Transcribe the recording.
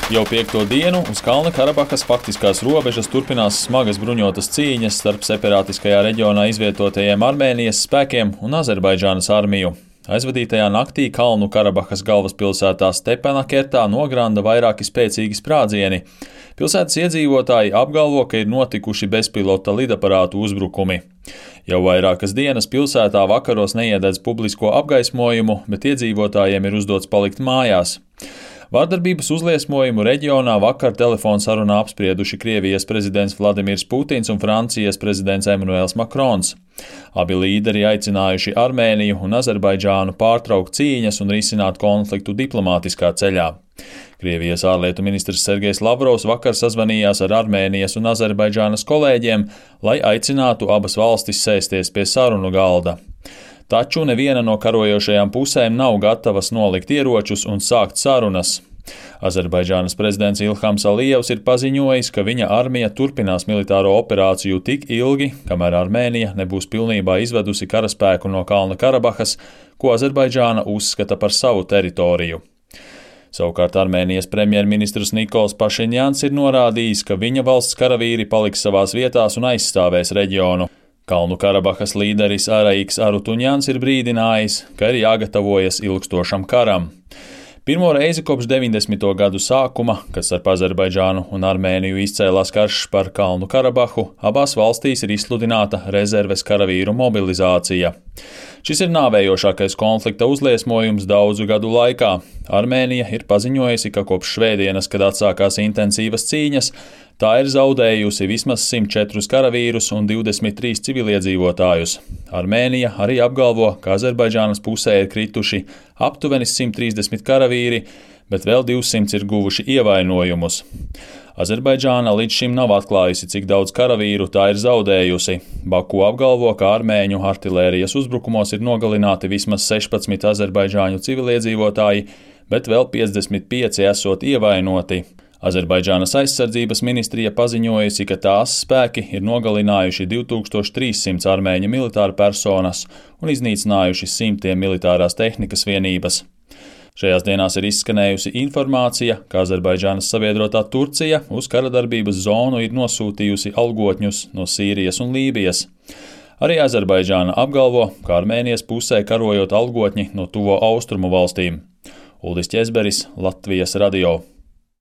Jau 5. dienu uz Kalnu Karabahas faktiskās robežas turpinās smagas bruņotas cīņas starp separātiskajā reģionā izvietotajiem Armēnijas spēkiem un Azerbaidžānas armiju. Aizvadītajā naktī Kalnu Karabahas galvaspilsētā Stepanakertā nogranda vairāki spēcīgi sprādzieni. Pilsētas iedzīvotāji apgalvo, ka ir notikuši bezpilota lidaparātu uzbrukumi. Jau vairākas dienas pilsētā vakaros neiededz publisko apgaismojumu, bet iedzīvotājiem ir uzdots palikt mājās. Vārdarbības uzliesmojumu reģionā vakar telefonsarunā apsprieduši Krievijas prezidents Vladimirs Putins un Francijas prezidents Emmanuels Macrons. Abi līderi aicinājuši Armēniju un Azerbaidžānu pārtraukt cīņas un risināt konfliktu diplomātiskā ceļā. Krievijas ārlietu ministrs Sergejs Lavrovs vakar sazvanījās ar Armēnijas un Azerbaidžānas kolēģiem, lai aicinātu abas valstis sēsties pie sarunu galda. Taču neviena no karojošajām pusēm nav gatavas nolikt ieročus un sākt sarunas. Azerbaidžānas prezidents Ilhams Alijevs ir paziņojis, ka viņa armija turpinās militāro operāciju tik ilgi, kamēr Armēnija nebūs pilnībā izvedusi karaspēku no Kalna Karabahas, ko Azerbaidžāna uzskata par savu teritoriju. Savukārt Armēnijas premjerministrs Nikols Pašiņjans ir norādījis, ka viņa valsts karavīri paliks savās vietās un aizstāvēs reģionu. Kalnu Karabahas līderis Araiks Arutuņjans ir brīdinājis, ka ir jāgatavojas ilgstošam karam. Pirmo reizi kopš 90. gadu sākuma, kad starp Azerbaidžānu un Armēniju izcēlās karš par Kalnu Karabahu, abās valstīs ir izsludināta rezerves karavīru mobilizācija. Šis ir nāvējošākais konflikta uzliesmojums daudzu gadu laikā. Armēnija ir paziņojusi, ka kopš svētdienas, kad atsākās intensīvas cīņas, tā ir zaudējusi vismaz 104 karavīrus un 23 civiliedzīvotājus. Armēnija arī apgalvo, ka Azerbaidžānas pusē ir krituši aptuveni 130 karavīri, bet vēl 200 ir guvuši ievainojumus. Azerbaidžāna līdz šim nav atklājusi, cik daudz karavīru tā ir zaudējusi. Baku apgalvo, ka armēņu artilērijas uzbrukumos ir nogalināti vismaz 16 azerbaidžāņu civiliedzīvotāji, bet vēl 55 esot ievainoti. Azerbaidžānas aizsardzības ministrija paziņojusi, ka tās spēki ir nogalinājuši 2300 armēņu militāru personas un iznīcinājuši simtiem militārās tehnikas vienības. Šajās dienās ir izskanējusi informācija, ka Azerbaidžānas sabiedrotā Turcija uz karadarbības zonu ir nosūtījusi algotņus no Sīrijas un Lībijas. Arī Azerbaidžāna apgalvo, ka Armēnijas pusē karojot algotņi no tuvo austrumu valstīm. Uldis Ķezberis, Latvijas radio.